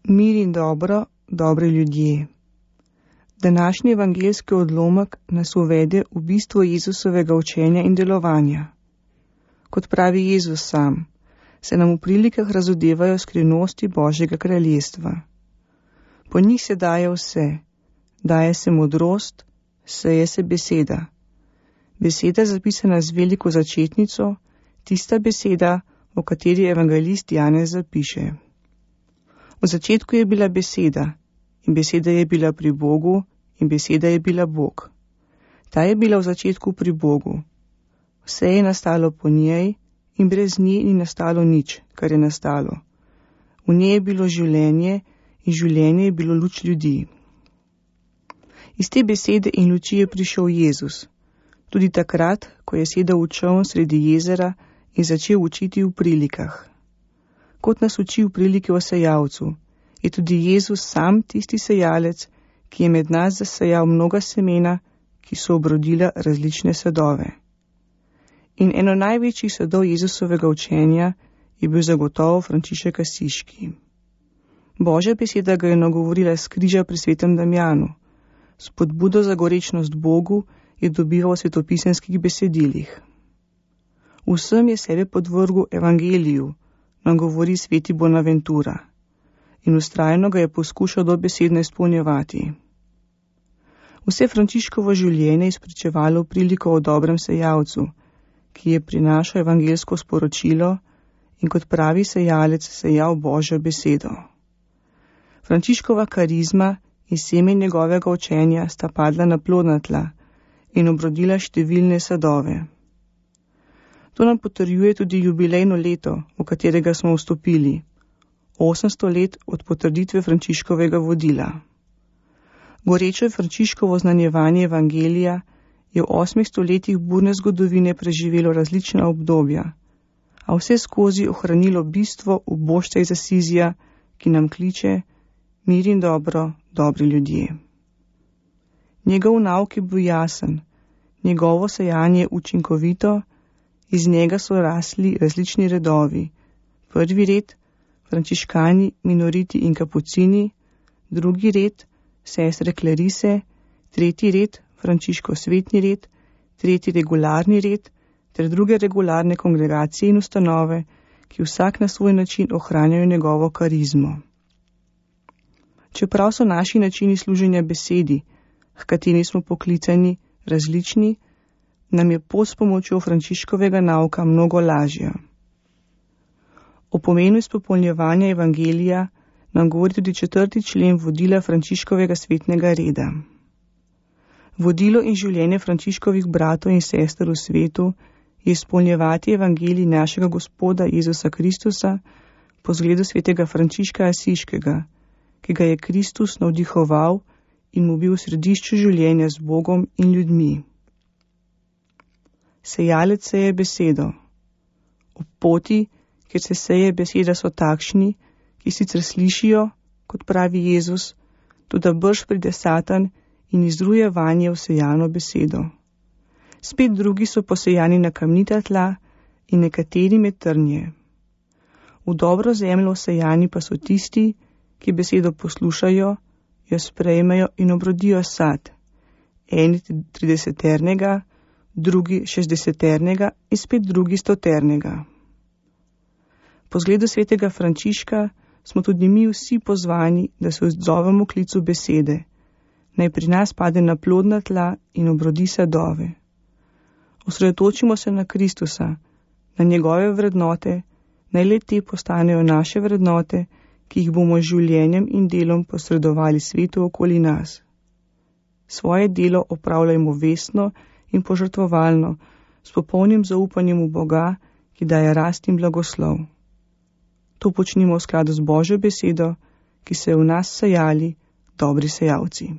Mir in dobro, dobri ljudje. Današnji evangeljski odlomek nas uvede v bistvo Jezusovega učenja in delovanja. Kot pravi Jezus sam, se nam v prilikah razodevajo skrivnosti Božjega kraljestva. Po njih se daje vse, daje se modrost, seje se beseda. Beseda zapisana z veliko začetnico, tista beseda, o kateri evangelist Janez zapiše. V začetku je bila beseda, in beseda je bila pri Bogu, in beseda je bila Bog. Ta je bila v začetku pri Bogu. Vse je nastalo po njej, in brez nje ni nastalo nič, kar je nastalo. V njej je bilo življenje, in življenje je bilo luč ljudi. Iz te besede in luči je prišel Jezus, tudi takrat, ko je sedel v čoln sredi jezera in začel učiti v prilikah. Kot nas uči v priliki o sejalcu, je tudi Jezus sam tisti sejalec, ki je med nas zasejal mnoga semena, ki so obrodila različne sadove. In eno največjih sadov Jezusovega učenja je bil zagotovo Frančišek Asiški. Božja beseda ga je nagovorila s križa pri svetem Damjanu. Spodbudo za gorečnost Bogu je dobival v svetopisemskih besedilih. Vsem je sebe podvrgel evangeliju, nam govori sveti Bonaventura, in vztrajno ga je poskušal dobesedno izpolnjevati. Vse Frančiškovo življenje je spričevalo v priliko o dobrem sejalcu, ki je prinašal evangeljsko sporočilo in kot pravi sejalec sejal Božjo besedo. Frančiškova karizma in seme njegovega učenja sta padla na plodna tla in obrodila številne sadove. To nam potrjuje tudi jubilejno leto, v katerega smo vstopili, 800 let od potrditve Frančiškovega vodila. Goreče Frančiškovo znanjevanje evangelija je v 8 stoletjih burne zgodovine preživelo različna obdobja, a vse skozi ohranilo bistvo ubožca iz Asizija, ki nam kliče mir in dobro, dobri ljudje. Njegov nauk je bil jasen, njegovo sejanje učinkovito, iz njega so rasli različni redovi. Prvi red, frančiškani, minoriti in kapucini, drugi red, sestre klerise, tretji red, Frančiškov svetni red, tretji regularni red, ter druge regularne kongregacije in ustanove, ki vsak na svoj način ohranjajo njegovo karizmo. Čeprav so naši načini služenja besedi, h kateri smo poklicani, različni, nam je pot s pomočjo Frančiškovega nauka mnogo lažja. O pomenu izpopolnjevanja evangelija nam govori tudi 4. člen vodila Frančiškovega svetnega reda. Vodilo in življenje Frančiškovih bratov in sester v svetu je izpolnjevati evangelij našega Gospoda Jezusa Kristusa po zgledu svetega Frančiška Asiškega, ki ga je Kristus navdihoval in mu bil v središču življenja z Bogom in ljudmi. Sejalec seje besedo. Ob poti, kjer se seje beseda, so takšni, ki sicer slišijo, kot pravi Jezus, toda brž pride Satan in izruje vanje vsejano besedo. Spet drugi so posejani na kamnita tla in nekateri med trnje. V dobro zemljo vsejani pa so tisti, ki besedo poslušajo, jo sprejmejo in obrodijo sad. Eni 30-ternega, drugi 60-ternega in spet drugi 100-ternega. Po zgledu svetega Frančiška smo tudi mi vsi pozvani, da se odzovemo klicu besede, naj pri nas pade na plodna tla in obrodi sadove. Osredotočimo se na Kristusa, na njegove vrednote, naj le te postanejo naše vrednote, ki jih bomo z življenjem in delom posredovali svetu okoli nas. Svoje delo opravljajmo vestno in požrtvovalno, s popolnim zaupanjem v Boga, ki daje rast in blagoslov. To počnimo v skladu z Božjo besedo, ki se je v nas sejali dobri sejalci.